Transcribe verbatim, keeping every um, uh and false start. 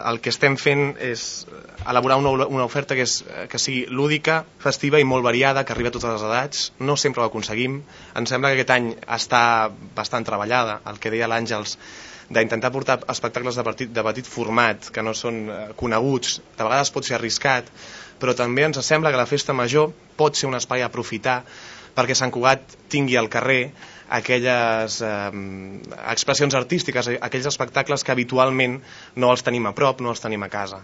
El que estem fent és elaborar una, una oferta que, és, que sigui lúdica, festiva i molt variada, que arribi a totes les edats. No sempre ho aconseguim. Em sembla que aquest any està bastant treballada, el que deia l'Àngels, d'intentar portar espectacles de petit, de petit format, que no són coneguts. De vegades pot ser arriscat, però també ens sembla que la festa major pot ser un espai a aprofitar perquè Sant Cugat tingui al carrer aquelles eh, expressions artístiques, aquells espectacles que habitualment no els tenim a prop, no els tenim a casa.